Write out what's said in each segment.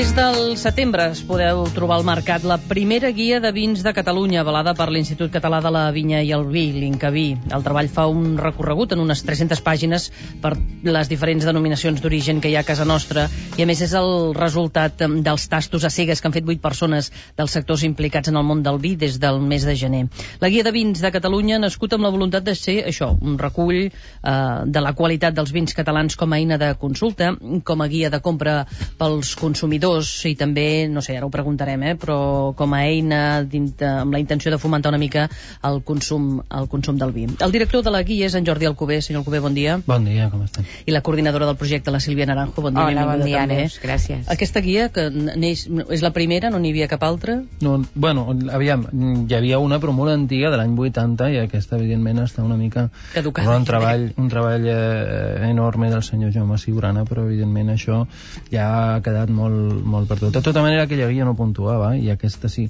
Des del setembre es podeu trobar al mercat la primera guia de vins de Catalunya, avalada per l'Institut Català de la Vinya i el Vi, l'INCAVI. El treball fa un recorregut en unes 300 pàgines per les diferents denominacions d'origen que hi ha a casa nostra, i a més és el resultat dels tastos a cegues que han fet 8 persones dels sectors implicats en el món del vi des del mes de gener. La guia de vins de Catalunya ha nascut amb la voluntat de ser això, un recull de la qualitat dels vins catalans com a eina de consulta, com a guia de compra pels consumidors i també, no sé, ara ho preguntarem, però com a eina amb la intenció de fomentar una mica el consum del vi. El director de la guia és en Jordi Alcover. Senyor Alcover, bon dia. Bon dia, com estem? I la coordinadora del projecte, la Sílvia Naranjo, bon dia. Hola, bon dia, també. Neus, gràcies. Aquesta guia, que és la primera, no n'hi havia cap altra? No, bueno, aviam, hi havia una però molt antiga de l'any 80 i aquesta evidentment està una mica caducada. Un treball enorme del senyor Jaume Ciurana, però evidentment això ja ha quedat molt perdut. De tota manera, aquella guia no puntuava, i aquesta sí,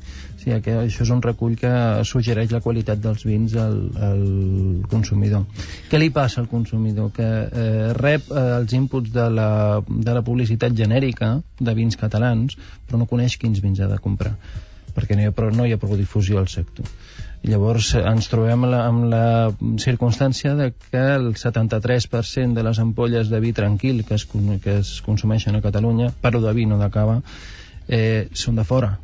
que això és un recull que suggereix la qualitat dels vins al consumidor. Què li passa al consumidor? Que rep els inputs de la publicitat genèrica de vins catalans, però no coneix quins vins ha de comprar, perquè no hi ha prou difusió al sector. Llavors ens trobem amb la circumstància de que el 73% de les ampolles de vi tranquil que es consumeixen a Catalunya, però de vi, no de cava, són de fora.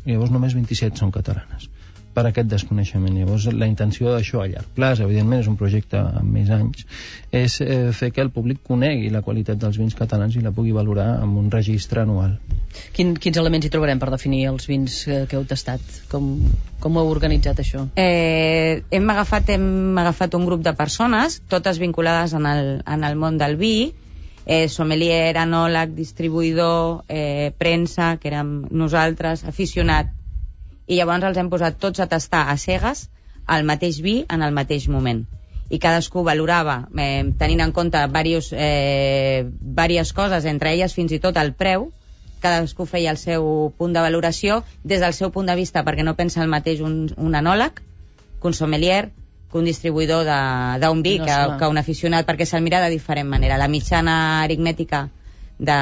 Llavors només 27 són catalanes, per aquest desconeixement. Llavors la intenció d'això a llarg plaç, evidentment és un projecte amb més anys, és fer que el públic conegui la qualitat dels vins catalans i la pugui valorar amb un registre anual. Quins elements hi trobarem per definir els vins que heu tastat? Com ho heu organitzat, això? Hem agafat un grup de persones, totes vinculades en el món del vi, sommelier, enòleg, distribuïdor, premsa, que érem nosaltres, aficionat, i llavors els hem posat tots a tastar a cegues el mateix vi en el mateix moment. I cadascú valorava, tenint en compte diverses coses, entre elles fins i tot el preu. Cadascú feia el seu punt de valoració des del seu punt de vista, perquè no pensa el mateix un enòleg que un sommelier, que un distribuïdor d'un vi, que un aficionat, perquè se'l mira de diferent manera. La mitjana aritmètica de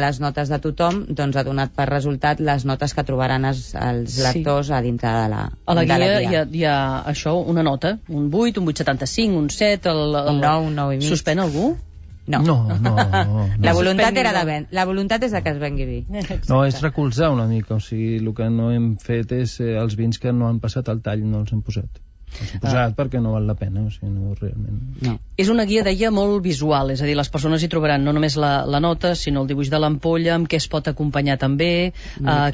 les notes de tothom doncs ha donat per resultat les notes que trobaran els lectors a dintre de la guia. A la guia hi ha això, una nota, un 8, un 8,75, un 7, un 9, un 9,5. Suspèn algú? No. La voluntat és que es vengui vi. No, és recolzar una mica, o sigui, el que no hem fet és els vins que no han passat al tall, no els hem posat. Els hem posat perquè no val la pena, o sigui, no, realment. No. És una guia, deia, molt visual, és a dir, les persones hi trobaran no només la nota, sinó el dibuix de l'ampolla, amb què es pot acompanyar també,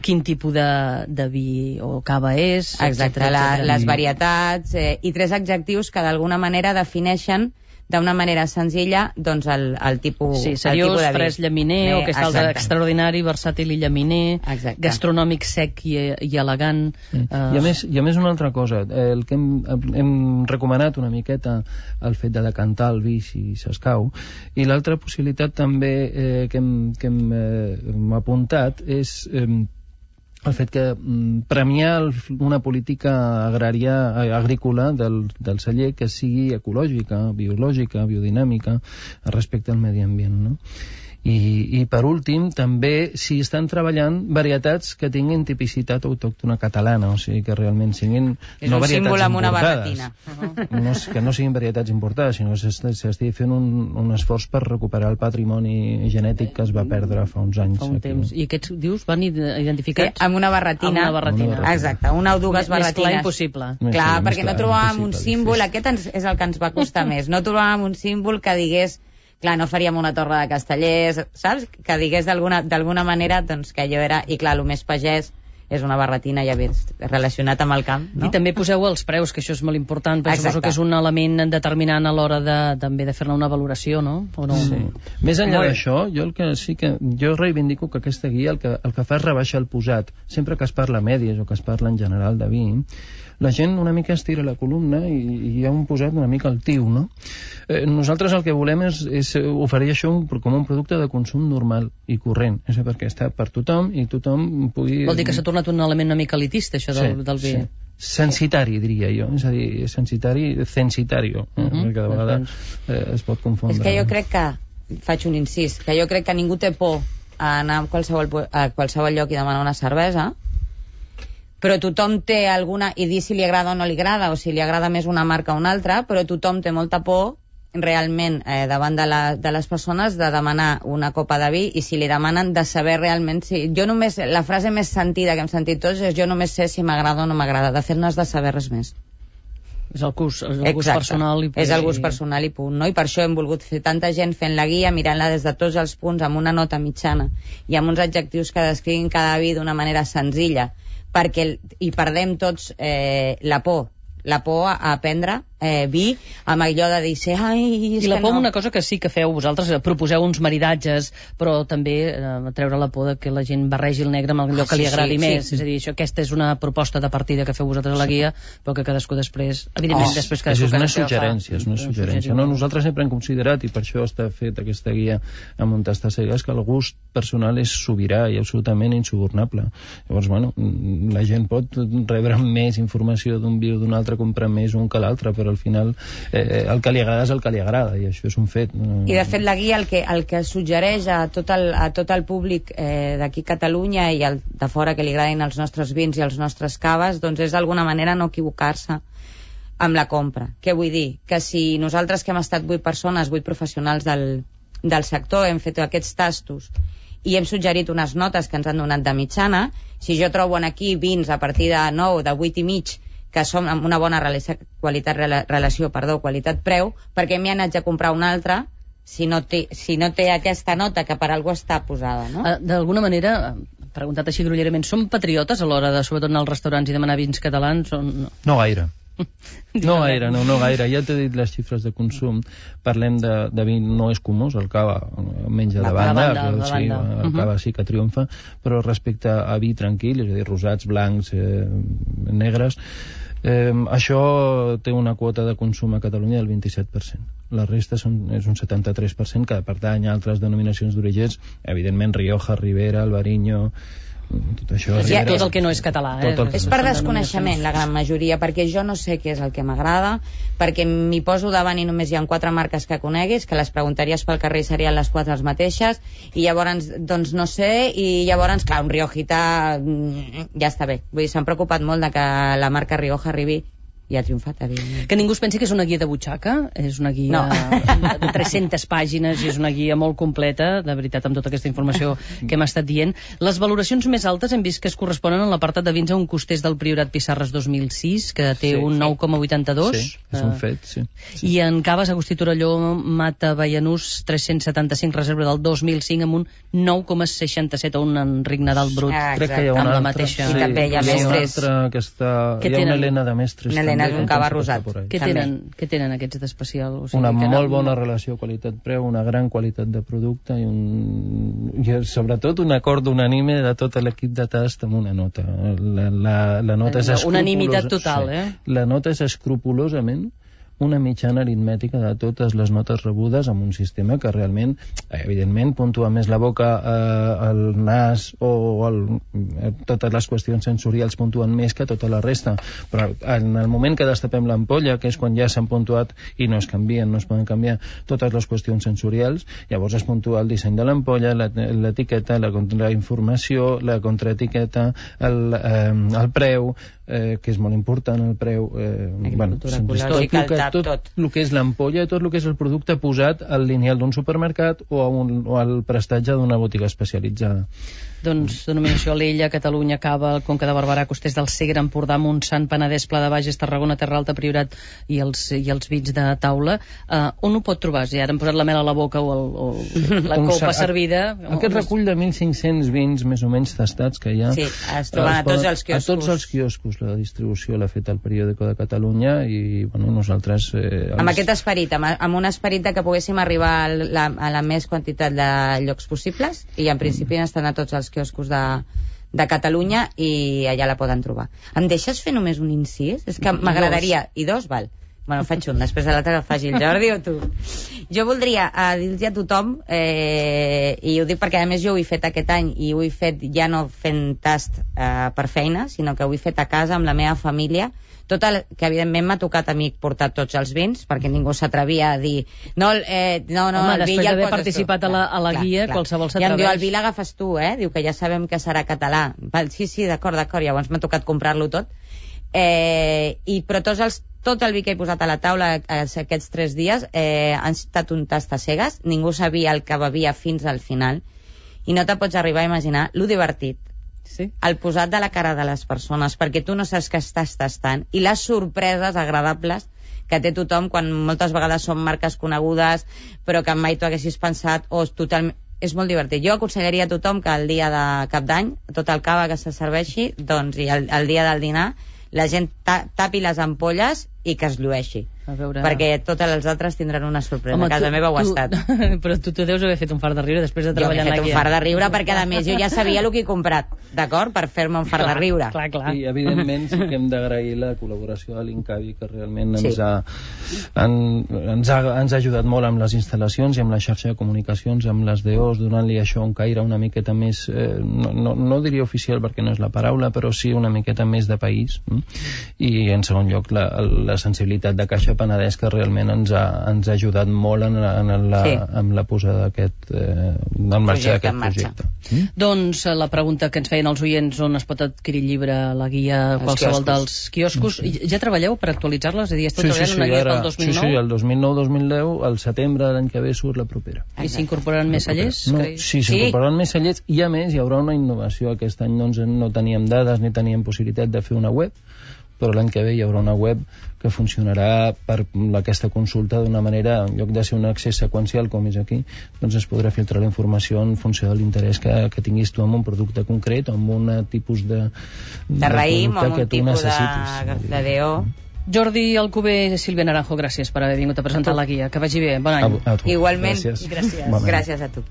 quin tipus de vi o cava és... Exacte, les varietats i 3 adjectius que d'alguna manera defineixen d'una manera senzilla doncs el tipus, sí, seriós, el tipus de vi. fresc, llaminer, o que està extraordinari, versàtil i llaminer, gastronòmic, sec i elegant. I a més una altra cosa, el que hem recomanat una miqueta el fet de decantar el vi si s'escau, i l'altra possibilitat també que hem apuntat és el fet que premiar una política agrícola del celler que sigui ecològica, biològica, biodinàmica respecte al medi ambient, no? I per últim, també si estan treballant varietats que tinguin tipicitat autòctona catalana, o sigui que realment siguin no varietats importades, que no siguin varietats importades, sinó que s'estigui fent un esforç per recuperar el patrimoni genètic que es va perdre fa uns anys. Fa un temps. I aquests, dius, van identificats? Amb una barretina. Exacte, una o dues barretines. Més clar impossible. Clar, perquè no trobàvem un símbol, aquest és el que ens va costar més, no trobàvem un símbol que digués, clar, no faríem una torre de castellers, saps? Que digués d'alguna manera doncs, que allò era, i clar, el més pagès és una barretina, ja ves, relacionat amb el camp, no? I també poseu els preus, que això és molt important, perquè suposo que és un element determinant a l'hora també de fer-ne una valoració, no? O no? Sí. Més enllà d'això, jo reivindico que aquesta guia el que fa és rebaixar el posat. Sempre que es parla mèdies o que es parla en general de vi, la gent una mica estira la columna i hi ha un posat una mica altiu, no? Nosaltres el que volem és oferir això com un producte de consum normal i corrent, és perquè està per tothom i tothom pugui... Vol dir que s'ha tornat un element una mica elitista, això del vi. Sí. Censitari, diria jo, és a dir, censitario, perquè de vegades es pot confondre. És que jo crec que, faig un incís, que jo crec que ningú té por a anar a qualsevol lloc i demanar una cervesa, però tothom té alguna... i dir si li agrada o no li agrada, o si li agrada més una marca o una altra, però tothom té molta por realment davant de les persones de demanar una copa de vi, i si li demanen de saber realment si... la frase més sentida que hem sentit tots és: jo només sé si m'agrada o no m'agrada. De fet, no has de saber res més. És el gust personal i... És el gust personal i punt, no? I per això hem volgut fer tanta gent fent la guia, mirant-la des de tots els punts, amb una nota mitjana i amb uns adjectius que descriguin cada vi d'una manera senzilla, perquè hi perdem tots la por a prendre vi, amb allò de dir i la por, una cosa que sí que feu vosaltres, proposeu uns maridatges, però també treure la por de que la gent barregi el negre amb allò que li agradi més. És a dir, aquesta és una proposta de partida que feu vosaltres a la guia, però que cadascú després, evidentment, després cadascú... És una suggerència. No, nosaltres sempre hem considerat, i per això està fet aquesta guia amb un tastar cegues, que el gust personal és sobirà i absolutament insubornable. Llavors, bueno, la gent pot rebre més informació d'un vi o d'un altre, comprar més un que l'altre, però al final el que li agrada és el que li agrada, i això és un fet. I de fet la guia el que suggereix a tot el públic d'aquí a Catalunya i de fora que li agradin els nostres vins i els nostres caves, doncs és d'alguna manera no equivocar-se amb la compra. Què vull dir? Que si nosaltres, que hem estat 8 persones, 8 professionals del sector, hem fet aquests tastos i hem suggerit unes notes que ens han donat de mitjana, si jo trobo aquí vins a partir de 9, de 8 i mig, que són amb una bona relació qualitat-preu, perquè m'hi han de comprar un altre si no té aquesta nota que per algú està posada, no? D'alguna manera, preguntat així grollerament, són patriotes a l'hora de, sobretot, anar als restaurants i demanar vins catalans? No gaire. No gaire. Ja t'he dit les xifres de consum. Parlem de vi no escumós, el cava menja de banda, el cava sí que triomfa, però respecte a vi tranquil, és a dir, rosats, blancs, negres, això té una quota de consum a Catalunya del 27%. La resta és un 73%, que pertany a altres denominacions d'orígens, evidentment Rioja, Ribera, Albariño, tot això. Tot el que no és català. És per desconeixement, la gran majoria, perquè jo no sé què és el que m'agrada, perquè m'hi poso davant i només hi ha 4 marques que coneguis, que les preguntaries pel carrer i serien les 4 les mateixes, i llavors, doncs no sé, i llavors, clar, un Riojita ja està bé. Vull dir, s'han preocupat molt de que la marca Rioja arribi, i ha triomfat, evidentment. Que ningú es pensi que és una guia de butxaca, és una guia de 300 pàgines, i és una guia molt completa, de veritat, amb tota aquesta informació que hem estat dient. Les valoracions més altes hem vist que es corresponen en l'apartat de vins a un costers del Priorat Pissarres 2006, que té un 9,82. Sí, és un fet, sí. I en caves Agustí Torelló, Mata Baianús 375, reserva del 2005, amb un 9,67, o un Enric Nadal Brut. Crec que hi ha una altra. I també hi ha mestres. Hi ha una Helena de mestres. És un cava rosat. Què tenen aquests d'especial? Una molt bona relació qualitat-preu, una gran qualitat de producte i sobretot un acord unànime de tot l'equip de tast amb una nota. La nota és unanimitat total, La nota és escrupolosament una mitjana aritmètica de totes les notes rebudes amb un sistema que realment, evidentment, puntua més la boca, el nas o totes les qüestions sensorials puntuen més que tota la resta, però en el moment que destapem l'ampolla, que és quan ja s'han puntuat i no es canvien, no es poden canviar totes les qüestions sensorials, llavors es puntua el disseny de l'ampolla, l'etiqueta, la informació, la contraetiqueta, el preu, que és molt important, el preu, tot el que és l'ampolla, tot el que és el producte posat al lineal d'un supermercat o al prestatge d'una botiga especialitzada. Doncs denominació Alella, Catalunya, Cava, Conca de Barberà, Costers del Segre, Empordà, Montsant, Penedès, Pla de Bages, Tarragona, Terra Alta, Priorat i els vins de taula. On ho pot trobar? Si ara hem posat la mel a la boca o la copa servida... Aquest recull de 1.500 vins més o menys tastats que hi ha... Sí, es troben a tots els quioscos. A tots els quioscos. La distribució l'ha fet el periòdico de Catalunya i nosaltres... Amb aquest esperit, amb un esperit que poguéssim arribar a la més quantitat de llocs possibles, i en principi estan a tots els quioscos de Catalunya i allà la poden trobar. Em deixes fer només un incís? És que m'agradaria... I dos, val. Bueno, faig un, després de l'altre que faci el Jordi o tu. Jo voldria dir-los a tothom, i ho dic perquè a més jo ho he fet aquest any, i ho he fet ja no fent tast per feina, sinó que ho he fet a casa amb la meva família, que evidentment m'ha tocat a mi portar tots els vins, perquè ningú s'atrevia a dir no, el vi ja el poses participat tu. a la guia, qualsevol s'atreveix. I em diu, el vi l'agafes tu, diu que ja sabem que serà català. Sí, d'acord, llavors m'ha tocat comprar-lo tot. Però tot el vi que he posat a la taula aquests 3 dies han estat un tast a cegues, ningú sabia el que bevia fins al final, i no te pots arribar a imaginar lo divertit, el posat de la cara de les persones, perquè tu no saps què estàs tastant, i les sorpreses agradables que té tothom quan moltes vegades són marques conegudes però que mai tu haguessis pensat és molt divertit. Jo aconsellaria a tothom que el dia de Cap d'Any tot el cava que se serveixi, doncs, i el dia del dinar la gent tapi les ampolles i que es llueixi, perquè tots els altres tindran una sorpresa. A casa meva ho ha estat. Però tu deus haver fet un fart de riure després de treballar en la guia. Jo he fet un fart de riure perquè a més jo ja sabia el que he comprat, d'acord? Per fer-me un fart de riure. Clar. I evidentment sí que hem d'agrair la col·laboració de l'Incavi, que realment ens ha ajudat molt amb les instal·lacions i amb la xarxa de comunicacions, amb les DOs, donant-li això un caire una miqueta més, no diria oficial perquè no és la paraula, però sí una miqueta més de país. I en segon lloc la sensibilitat de Caixa Penedès, que realment ens ha ajudat molt en la posada en marxa d'aquest projecte. Doncs la pregunta que ens feien els oients, on es pot adquirir el llibre, la guia, qualsevol dels quioscos, ja treballeu per actualitzar-les? És a dir, esteu treballant una guia pel 2009? Sí, el 2009-2010, al setembre de l'any que ve surt la propera. I s'incorporaran més cellers? Sí, s'incorporaran més cellers, i a més hi haurà una innovació. Aquest any no teníem dades ni teníem possibilitat de fer una web, però l'any que ve hi haurà una web que funcionarà per aquesta consulta d'una manera, en lloc de ser un accés seqüencial com és aquí, doncs es podrà filtrar la informació en funció de l'interès que tinguis tu en un producte concret o en un tipus de raïm o en un tipus de DO. Jordi Alcover, Sílvia Naranjo, gràcies per haver vingut a presentar la guia. Que vagi bé, bon any. A tu. Igualment. Gràcies. Gràcies a tu.